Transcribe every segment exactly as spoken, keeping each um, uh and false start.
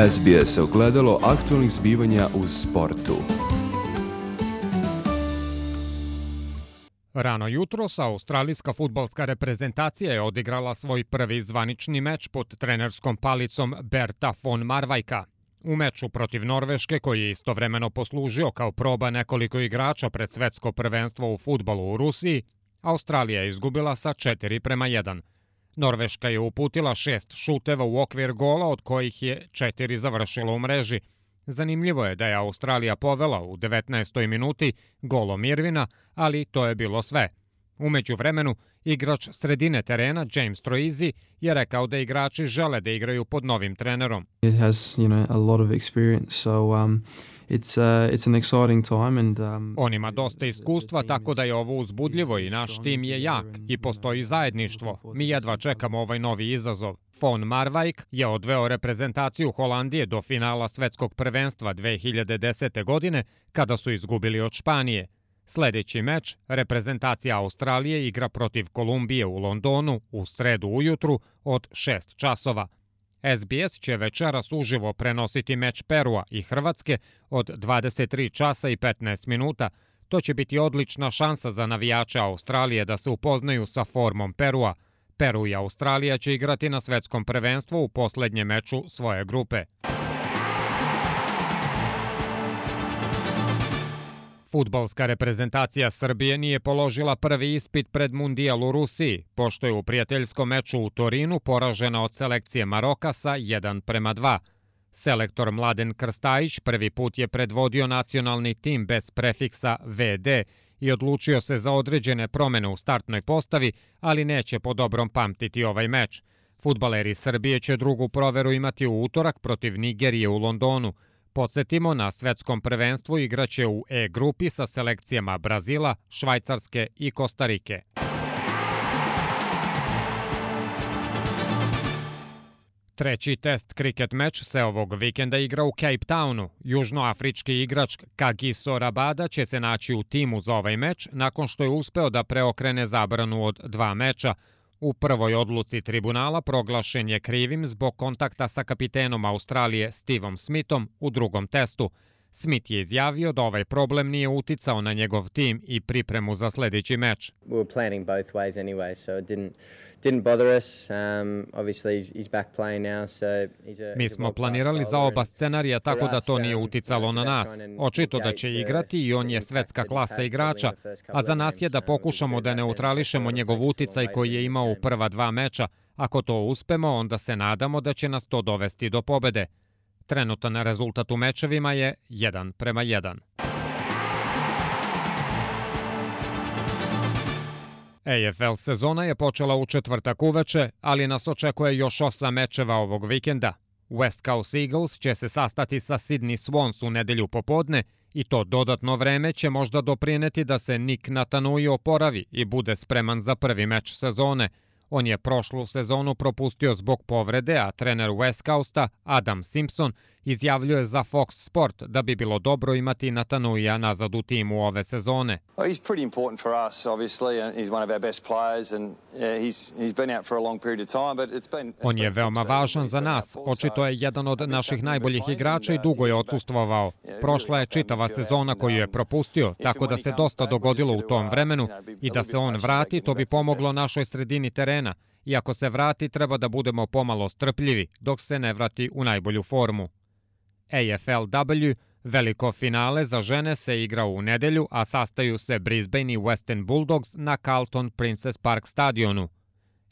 S B S ogledalo aktualnih zbivanja u sportu. Rano jutros australijska fudbalska reprezentacija je odigrala svoj prvi zvanični meč pod trenerskom palicom Berta von Marwejka. U meču protiv Norveške, koji je istovremeno poslužio kao proba nekoliko igrača pred svetsko prvenstvo u fudbalu u Rusiji, Australija je izgubila sa četiri prema jedan. Norveška je uputila šest šuteva u okvir gola, od kojih je četiri završilo u mreži. Zanimljivo je da je Australija povela u devetnaestoj minuti golom Irvina, ali to je bilo sve. U međuvremenu, igrač sredine terena James Troisi je rekao da igrači žele da igraju pod novim trenerom. It has, you know, a lot of experience, so um, it's uh, it's an exciting time and um, On ima dosta iskustva, tako da je ovo uzbudljivo i naš tim je jak i postoji zajedništvo. Mi jedva čekamo ovaj novi izazov. Von Marwijk je odveo reprezentaciju Holandije do finala svetskog prvenstva dve hiljade desete. godine, kada su izgubili od Španije. Sljedeći meč, reprezentacija Australije igra protiv Kolumbije u Londonu u sredu ujutru od šest časova. S B S će večeras uživo prenositi meč Perua i Hrvatske od dvadeset tri časa i petnaest minuta. To će biti odlična šansa za navijače Australije da se upoznaju sa formom Perua. Peru i Australija će igrati na svetskom prvenstvu u posljednjem meču svoje grupe. Fudbalska reprezentacija Srbije nije položila prvi ispit pred Mundijal u Rusiji, pošto je u prijateljskom meču u Torinu poražena od selekcije Maroka sa jedan prema dva. Selektor Mladen Krstajić prvi put je predvodio nacionalni tim bez prefiksa V D i odlučio se za određene promjene u startnoj postavi, ali neće po dobrom pamtiti ovaj meč. Fudbaleri Srbije će drugu proveru imati u utorak protiv Nigerije u Londonu. Podsjetimo, na svetskom prvenstvu igraće u E grupi sa selekcijama Brazila, Švajcarske i Kostarike. Treći test kriket meč se ovog vikenda igra u Cape Townu. Južnoafrički igrač Kagiso Rabada će se naći u timu za ovaj meč nakon što je uspeo da preokrene zabranu od dva meča. U prvoj odluci tribunala proglašen je krivim zbog kontakta sa kapitenom Australije Stevom Smithom u drugom testu. Smith je izjavio da ovaj problem nije uticao na njegov tim i pripremu za sljedeći meč. We were planning both ways anyway, so it didn't didn't bother us. Um, obviously he's, he's back playing now, so he's a Mi smo planirali za oba scenarija, tako da to nije uticalo na nas. Očito da će igrati i on je svetska klasa igrača, a za nas je da pokušamo da neutrališemo njegov uticaj koji je imao u prva dva meča. Ako to uspemo, onda se nadamo da će nas to dovesti do pobede. Trenutan rezultat u mečevima je jedan prema jedan. A F L sezona je počela u četvrtak uveče, ali nas očekuje još osam mečeva ovog vikenda. West Coast Eagles će se sastati sa Sydney Swans u nedelju popodne i to dodatno vreme će možda doprineti da se Nick Natanui oporavi i bude spreman za prvi meč sezone. On je prošlu sezonu propustio zbog povrede, a trener West Coasta, Adam Simpson, izjavljuje za Fox Sport da bi bilo dobro imati Natanuija nazad u timu ove sezone. He's pretty important for us, obviously, and he's one of our best players, and he's he's been out for a long period of time, but it's been. On je veoma važan za nas. Očito je jedan od naših najboljih igrača i dugo je odsustvovao. Prošla je čitava sezona koju je propustio, tako da se dosta dogodilo u tom vremenu i da se on vrati, to bi pomoglo našoj sredini terena. I ako se vrati, treba da budemo pomalo strpljivi dok se ne vrati u najbolju formu. A F L W, veliko finale za žene, se igra u nedelju, a sastaju se Brisbane i Western Bulldogs na Carlton Princess Park stadionu.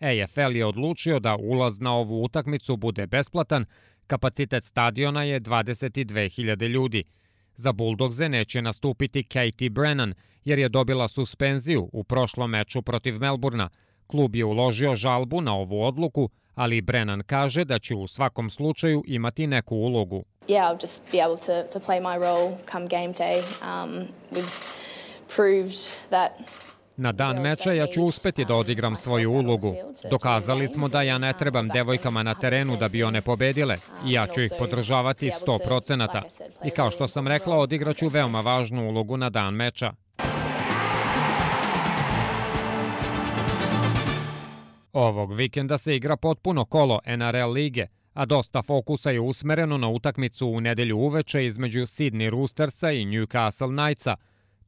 A F L je odlučio da ulaz na ovu utakmicu bude besplatan, kapacitet stadiona je dvadeset dve hiljade ljudi. Za Bulldogse neće nastupiti Katie Brennan, jer je dobila suspenziju u prošlom meču protiv Melburna. Klub je uložio žalbu na ovu odluku, ali Brennan kaže da će u svakom slučaju imati neku ulogu. Yeah, I'll just be able to to play my role come game day. Um, we've proved that. Na dan meča ja ću uspeti da odigram svoju ulogu. Dokazali smo da ja ne trebam devojkama na terenu da bi one pobedile i ja ću ih podržavati sto procenata. I kao što sam rekla, odigraću veoma važnu ulogu na dan meča. Ovog vikenda se igra potpuno kolo N R L lige. a dosta fokusa je usmereno na utakmicu u nedelju uveče između Sydney Roostersa i Newcastle Knightsa.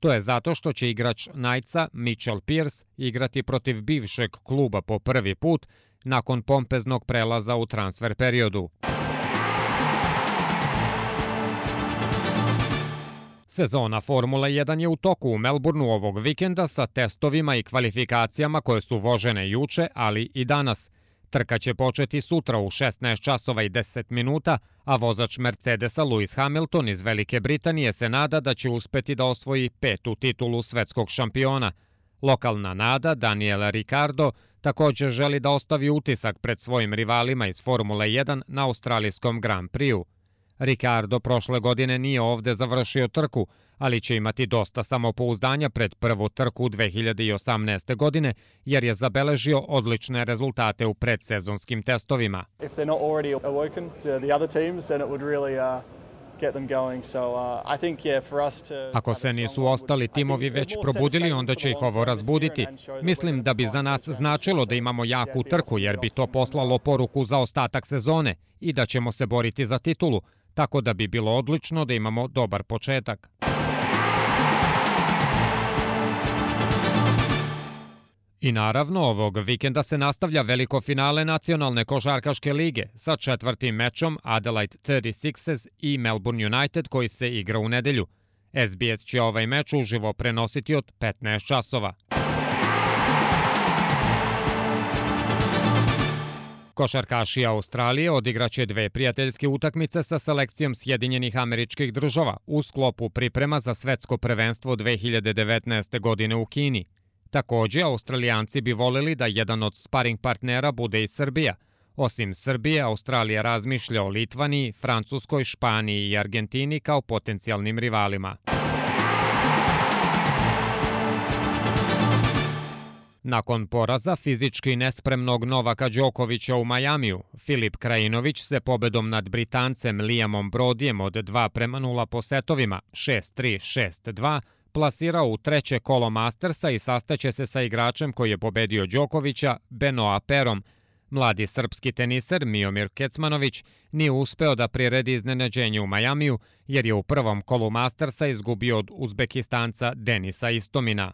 To je zato što će igrač Knightsa, Mitchell Pearce, igrati protiv bivšeg kluba po prvi put nakon pompeznog prelaza u transfer periodu. Sezona Formule jedan je u toku u Melbourneu ovog vikenda sa testovima i kvalifikacijama koje su vožene juče, ali i danas. Trka će početi sutra u šesnaest časova i deset minuta, a vozač Mercedesa Lewis Hamilton iz Velike Britanije se nada da će uspeti da osvoji petu titulu svetskog šampiona. Lokalna nada, Daniel Ricciardo, također želi da ostavi utisak pred svojim rivalima iz Formule jedan na australijskom Grand Prixu. Ricciardo prošle godine nije ovde završio trku, ali će imati dosta samopouzdanja pred prvu trku dve hiljade osamnaeste. godine, jer je zabeležio odlične rezultate u predsezonskim testovima. Ako se nisu ostali timovi već probudili, onda će ih ovo razbuditi. Mislim da bi za nas značilo da imamo jaku trku, jer bi to poslalo poruku za ostatak sezone i da ćemo se boriti za titulu, tako da bi bilo odlično da imamo dobar početak. I naravno, ovog vikenda se nastavlja veliko finale nacionalne košarkaške lige sa četvrtim mečom Adelaide thirty-sixers i Melbourne United koji se igra u nedelju. S B S će ovaj meč uživo prenositi od petnaest časova. Košarkaši Australije odigraće dve prijateljske utakmice sa selekcijom Sjedinjenih Američkih Država u sklopu priprema za svetsko prvenstvo dve hiljade devetnaeste. godine u Kini. Također, Australijanci bi voleli da jedan od sparing partnera bude i Srbija. Osim Srbije, Australija razmišlja o Litvaniji, Francuskoj, Španiji i Argentini kao potencijalnim rivalima. Nakon poraza fizički nespremnog Novaka Đokovića u Majamiju, Filip Krajinović se pobedom nad Britancem Liamom Brodijem od dva prema nula po setovima šest tri šest dva plasirao u treće kolo Mastersa i sastaće se sa igračem koji je pobedio Đokovića, Benoa Perom. Mladi srpski teniser Miomir Kecmanović nije uspeo da priredi iznenađenje u Majamiju jer je u prvom kolu Mastersa izgubio od Uzbekistanca Denisa Istomina.